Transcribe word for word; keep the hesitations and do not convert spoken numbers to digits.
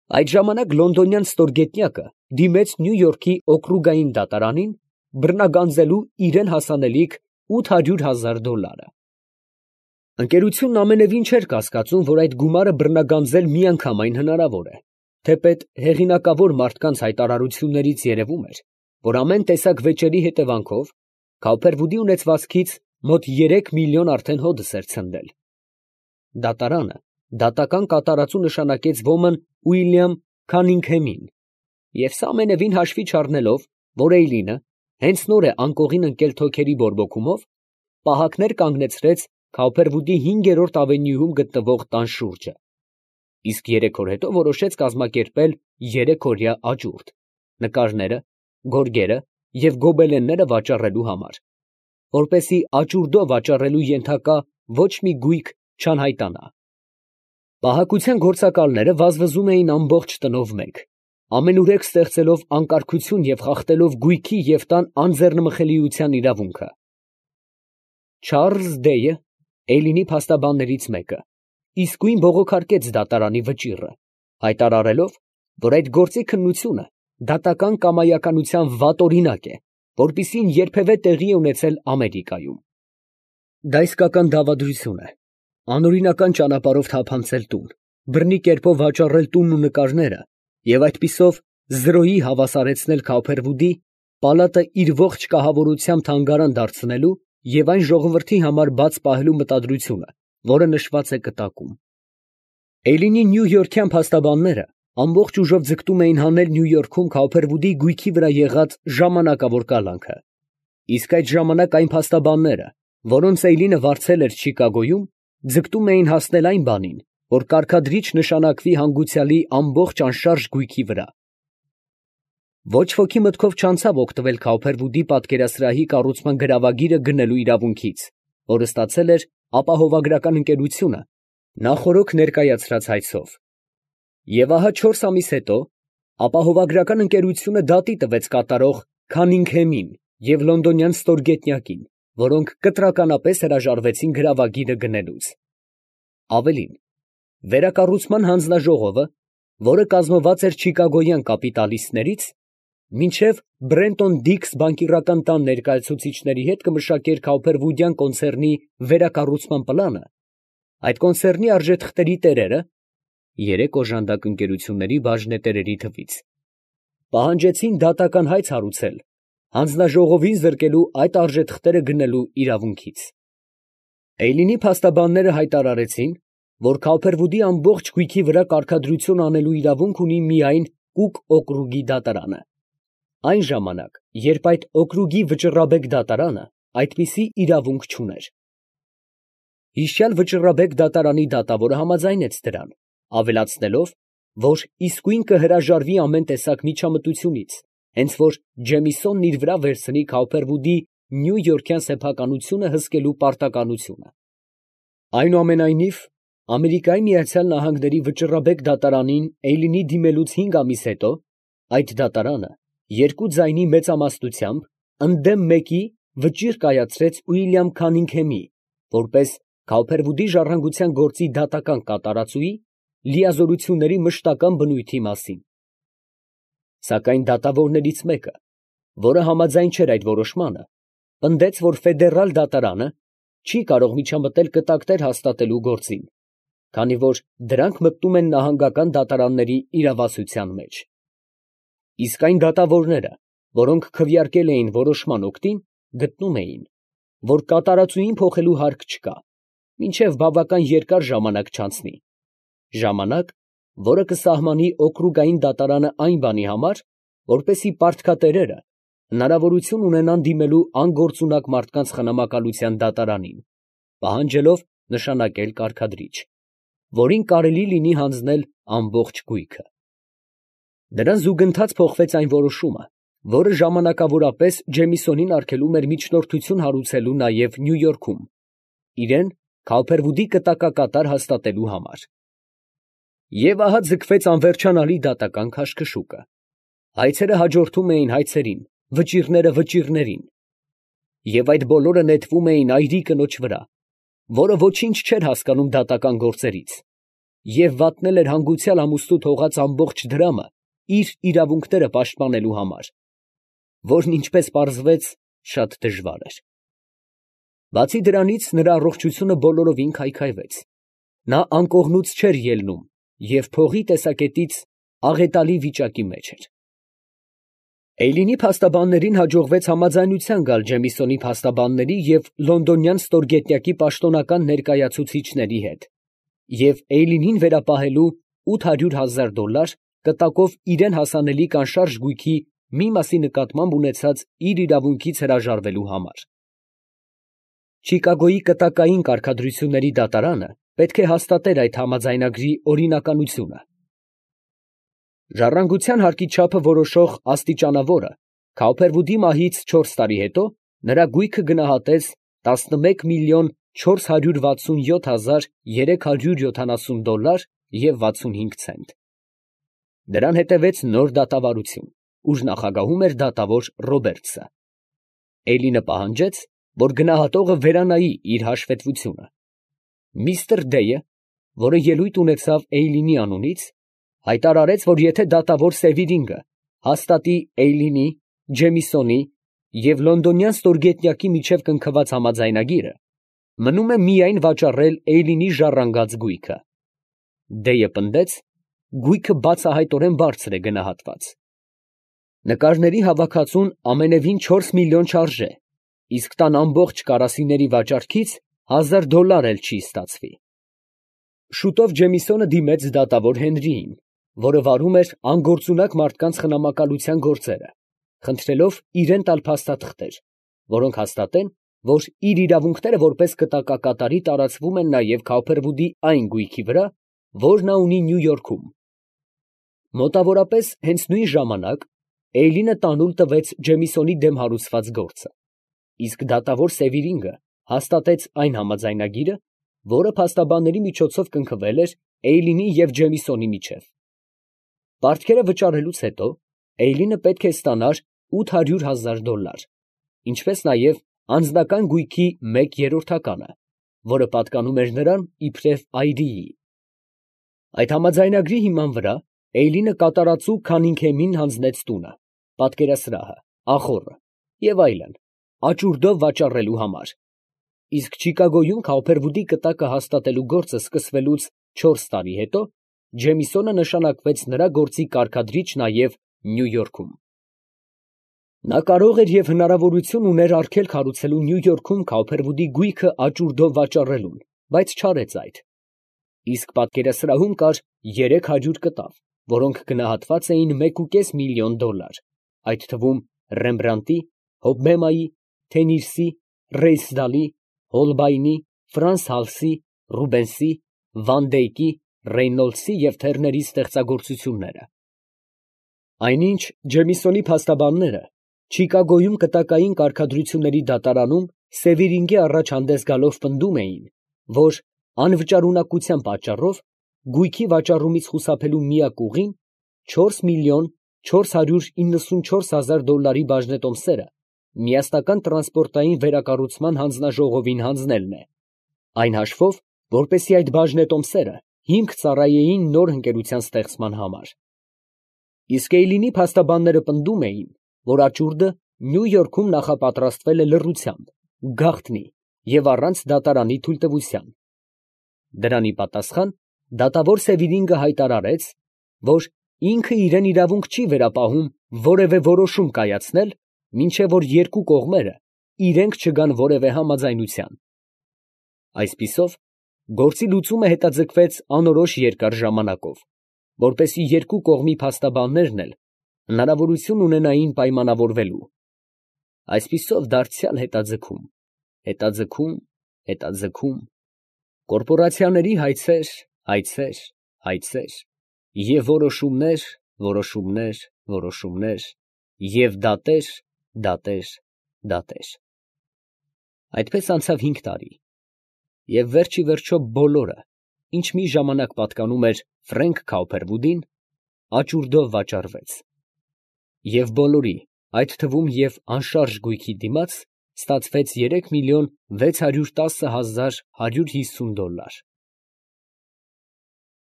Այդ ժամանակ լոնդոնյան ստորգետնյակը դիմեց Նյու Յորքի օկրուգային դատարանին բռնագանձելու իրան հասանելիք ութ հարյուր հազար դոլարը։ Ընկերությունն ամենևին չէր կասկածում, որ այդ գումարը բռնագանձել միանգամայն հնարավոր է, թեպետ հեղինակավոր մարդկանց հայտարարություններից երևում էր, որ ամեն տեսակ վեճերի հետևանքով Քաուփերվուդի ունեցվածքից մոտ երեք միլիոն արդեն հօդս էր ցնդել։ Դատարանը դատական կատարածու նշանակեց ոմն Ուիլյամ Քանինգհեմին, և սա ամենևին հաշվի չառնելով, որ Էյլինը հենց նոր է անկողին ընկել թոքերի բորբոքումով, պահակներ կանգնեցրեց Քաուփերվուդի հինգերորդ ավենյուում գտնվող տան շուրջը, իսկ երեք օր հետո որոշեց կազմակերպել երեքօրյա աճուրդ, նկարները, գորգերը և գոբելենները վաճառելու համար, որպեսզի աճուրդով վաճառելու ենթակա ոչ մի գույք չանհայտանա։ Պահակության գործակալները վազվզում էին ամբողջ տնով մեկ, ամենուրեք ստեղծելով անկարգություն և խախտելով գույքի և տան անձեռնմխելիության իրավունքը։ Չարլզ Դեյը, Էյլինի փաստաբաններից մեկը, իսկույն բողոքարկեց դատարանի վճիռը, հայտարարելով, որ այդ գործի քննությունը դատական կամայականության վատ օրինակ է, որպիսին երբևէ տեղի է ունեցել Ամերիկայում։ Դա իսկական դավադրություն է, անօրինական ճանապարհով թափանցել տուն, բռնի կերպով վաճառել տունն ու նկարները և այդպիսով զրոյի հավասարեցնել Քաուփերվուդի, պալատը իր ողջ կահավորությամբ թանգարան դարձնելու և այն ժողովրդի համար բաց պահելու մտադրությունը, որը նշված է կտակում։ Էյլինի նյույորքյան փաստաբանները ամբողջ ուժով ձգտում էին հանել Նյու Յորքում Քաուփերվուդի գույքի վրա եղած ժամանակավոր կալանքը, իսկ այդ ժամանակ այն փաստաբանները, որոնց Էյլինը վարձել էր Չիկագոյում, ձգտում էին հասնել այն բանին, որ կարգադրիչ նշանակվի հանգուցյալի ամբողջ անշարժ գույքի վրա։ Ոչ ոքի մտքով չանցավ օգտվել Քաուփերվուդի պատկերասրահի կառուցման գրավագիրը գնելու իրավունքից, որը ստացել էր ապահովագրական ընկերությունը նախօրոք ներկայացրած հայցով։ Եվ ահա չորս ամիս հետո ապահովագրական ընկերությունը դատի տվեց կատարող Քանինգհեմին և լոնդոնյան ստորգետնյակին, որոնք կտրականապես հրաժարվեցին գրավագիրը գնելուց։ Ավելին, վերակառուցման հանձնաժողովը, որը կազմված էր չիկագոյան կապիտալիստներից, մինչև Բրենտոն Դիքս բանկիրական տան ներկայացուցիչների հետ կմշակեր Քաուփերվուդյան կոնցեռնի վերակառուցման պլանը, այդ կոնցեռնի արժեթղթերի տերերը (երեք օժանդակ ընկերությունների բաժնետերերի թվից) պահանջեցին դատական հայց հարուցել հանձնաժողովին զրկելու այդ արժեթղթերը գնելու իրավունքից։ Էյլինի փաստաբանները հայտարարեցին, որ Քաուփերվուդի ամբողջ գույքի վրա կարգադրություն անելու իրավունք ունի միայն Կուկ օկրուգի դատարանը, այն ժամանակ, երբ այդ օկրուգի վճռաբեկ դատարանը այդպիսի իրավունք չուներ։ Հիշյալ վճռաբեկ դատարանի դատավորը համաձայնեց դրան, ավելացնելով, որ իսկույն կհրաժարվի ամեն տեսակ միջամտությունից, հենց որ Ջեմիսոնն իր վրա վերցնի Քաուփերվուդի նյույորքյան սեփականությունը հսկելու պարտականությունը։ Այնուամենայնիվ, Ամերիկայի Միացյալ Նահանգների վճռաբեկ դատարանին Էյլինի դիմելուց հինգ ամիս հետո, այդ դատարանը երկու ձայնի մեծամասնությամբ ընդդեմ մեկի վճիռ կայացրեց Ուիլյամ Քանինգհեմի, որպես Քաուփերվուդի ժառանգության գործի դատական կատարածուի լիազորությունների մշտական բնույթի մասին։ Սակայն դատավորներից մեկը, որը համաձայն չէր այդ որոշմանը, պնդեց, որ ֆեդերալ դատարանը չի կարող միջամտել կտակներ հաստատելու գործին, քանի որ դրանք մտնում են նահանգական դատարանների իրավասության մեջ։ Իսկ այն դատավորները, որոնք քվեարկել էին որոշման օգտին, գտնում էին, որ կատարածուին փոխելու հարկ չկա, մինչև բավական երկար ժամանակ չանցնի, ժամանակ, որը կսահմանի օկրուգային դատարանը այն բանի համար, որպեսզի պարտքատերերը հնարավորություն ունենան դիմելու անգործունակ մարդկանց խնամակալության դատարանին, պահանջելով նշանակել կարգադրիչ, որին կարելի լինի հանձնել ամբողջ գույքը։ Դրան զուգընթաց փոխվեց այն որոշումը, որը ժամանակավորապես Ջեմիսոնին արգելում էր միջնորդություն հարուցելու նաև Նյու Յորքում, իրան Քաուփերվուդի կտակակատար հաստատելու համար։ Եվ ահա ձգվեց անվերջանալի դատական քաշքշուկը։ Հայցերը հաջորդում էին հայցերին, վճիռները վճիռներին, և այդ բոլորը նետվում էին այրի կնոջ վրա, որը ոչինչ չէր հասկանում դատական գործերից, և վատնել էր հանգուցյալ ամուսնու թողած ամբողջ դրամը իր իրավունքները պաշտպանելու համար, որն, ինչպես պարզվեց, շատ դժվար էր։ Բացի դրանից, նրա առողջությունը բոլորովին քայքայվեց. նա անկողնուց չէր ելնում և փողի տեսակետից աղետալի վիճակի մեջ էր։ Էյլինի փաստաբաններին հաջողվեց համաձայնության գալ Ջեմիսոնի փաստաբանների և լոնդոնյան ստորգետնյակի պաշտոնական ներկայացուցիչների հետ և Էյլինին վերապահելու ութ հարյուր հազար դոլար կտակով իրան հասանելիք անշարժ գույքի մի մասի նկատմամբ ունեցած իր իրավունքից հրաժարվելու համար։ Չիկագոյի կտակային կարգադրությունների դատարանը պետք է հաստատեր այդ համաձայնագրի օրինականությունը։ Ժառանգության հարկի չափը որոշող աստիճանավորը Քաուփերվուդի մահից չորս տարի հետո նրա գույքը գնահատեց տասնմեկ միլիոն չորս հարյուր վաթսունյոթ հազար երեք հարյուր յոթանասուն դոլար և վաթսունհինգ ցենտ։ Դրան հետևեց նոր դատավարություն, ուր նախագահում էր դատավոր Ռոբերտսը։ Էյլինը պահանջեց, որ գնահատողը վերանայի իր հաշվետվությունը։ Միսթր Դեյը, որը ելույթ ունեցավ Էյլինի անունից, հայտարարեց, որ եթե դատավոր Սևիրինգը հաստատի Էյլինի, Ջեմիսոնի և լոնդոնյան ստորգետնյակի միջև կնքված համաձայնագիրը, մնում է միայն վաճառել Էյլինի ժառանգած գույքը։ Դեյը պնդեց, գույքը բացահայտորեն բարձր է գնահատված։ Նկարների հավաքածուն ամենևին չորս միլիոն չարժե, իսկ տան ամբողջ կարասիների վաճառքից հազար դոլար էլ չի ստացվի։ Շուտով Ջեմիսոնը դիմեց դատավոր Հենրիին, որը վարում էր անգործունակ մարդկանց խնամակալության գործերը, խնդրելով իրան տալ փաստաթղթեր, որոնք հաստատեն, որ իր իրավունքները որպես կտակակատարի տարածվում են նաև Քաուփերվուդի այն գույքի վրա, որ նա ունի Նյու Յորքում։ Մոտավորապես հենց նույն ժամանակ Էյլինը տանուլ տվեց Ջեմիսոնի դեմ հարուցված գործը, իսկ դատավոր Սևիրինգը հաստատեց այն համաձայնագիրը, որը փաստաբանների միջոցով կնքվել էր Էյլինի և Ջեմիսոնի միջև։ Պարտքերը վճարելուց հետո Էյլինը պետք է ստանար ութ հարյուր հազար դոլար, ինչպես նաև անձնական գույքի մեկ երրորդականը, որը պատկանում էր նրան իբրև այրիի։ Այդ համաձայնագրի հիման վրա Էյլինը կատարածու Քանինգհեմին հանձնեց տունը, պատկերասրահը, ախոռը և այլն աճուրդով վաճառելու համար, իսկ Չիկագոյում Քաուփերվուդի կտակը հաստատելու գործը սկսվելուց չորս տարի հետո Ջեմիսոնը նշանակվեց նրա գործի կարգադրիչ նաև Նյու Յորքում։ Նա կարող էր և հնարավորություն ուներ արգելք հարուցելու Նյու Յորքում Քաուփերվուդի գույքը աճուրդով վաճառելուն, բայց չարեց այդ։ Իսկ պատկերասրահում կար երեք հարյուր կտավ, որոնք գնահատված էին մեկուկես միլիոն դոլար, այդ թվում Ռեմբրանտի, Հոբբեմայի, Թենիրսի, Ռեյսդալի, Հոլբայնի, Ֆրանս Հալսի, Ռուբենսի, Վան Դեյկի, Ռեյնոլդսի և Թերների ստեղծագործությունները։ Այնինչ Ջեմիսոնի փաստաբանները Չիկագոյում կտակային կարգադրությունների դատարանում Սևիրինգի առաջ հանդես գալով պնդում էին, որ անվճարունակության պատճառով գույքի վաճառումից խուսափելու միակ ուղին չորս միլիոն չորս հարյուր իննսունչորս հազար դոլարի բաժնետոմսերը միասնական տրանսպորտային վերակառուցման հանձնաժողովին հանձնելն է, այն հաշվով, որպեսզի այդ բաժնետոմսերը հիմք ծառայեին նոր ընկերության ստեղծման համար։ Իսկ Էյլինի փաստաբանները պնդում էին, որ աճուրդը Նյու Յորքում նախապատրաստվել է լռությամբ, գաղտնի և առանց դատարանի թույլտվության։ Դրան ի պատասխան դատավոր Սևիրինգը հայտարարեց, որ ինքը իրան իրավունք չի վերապահում որևէ որոշում կայացնել, մինչև որ երկու կողմերը իրենք չգան որևէ համաձայնության։ Այսպիսով, գործի լուծումը հետաձգվեց անորոշ երկար ժամանակով, որպեսզի երկու կողմի փաստաբաններն էլ հնարավորություն ունենային պայմանավորվելու։ Այսպիսով դարձյալ հետաձգում, հետաձգում, հետաձգում, կորպորացիաների հայցեր, հայցեր, հայցեր և որոշումներ, որոշումներ, որոշումներ և դատեր, դատեր, դատեր։ Այդպես անցավ հինգ տարի, և վերջիվերջո բոլորը, ինչ մի ժամանակ պատկանում էր Ֆրենք Քաուփերվուդին, աճուրդով վաճառվեց, և բոլորի, այդ թվում և անշարժ գույքի դիմաց, ստացվեց երեք միլիոն վեց հարյուր տասը հազար հարյուր հիսուն դոլար։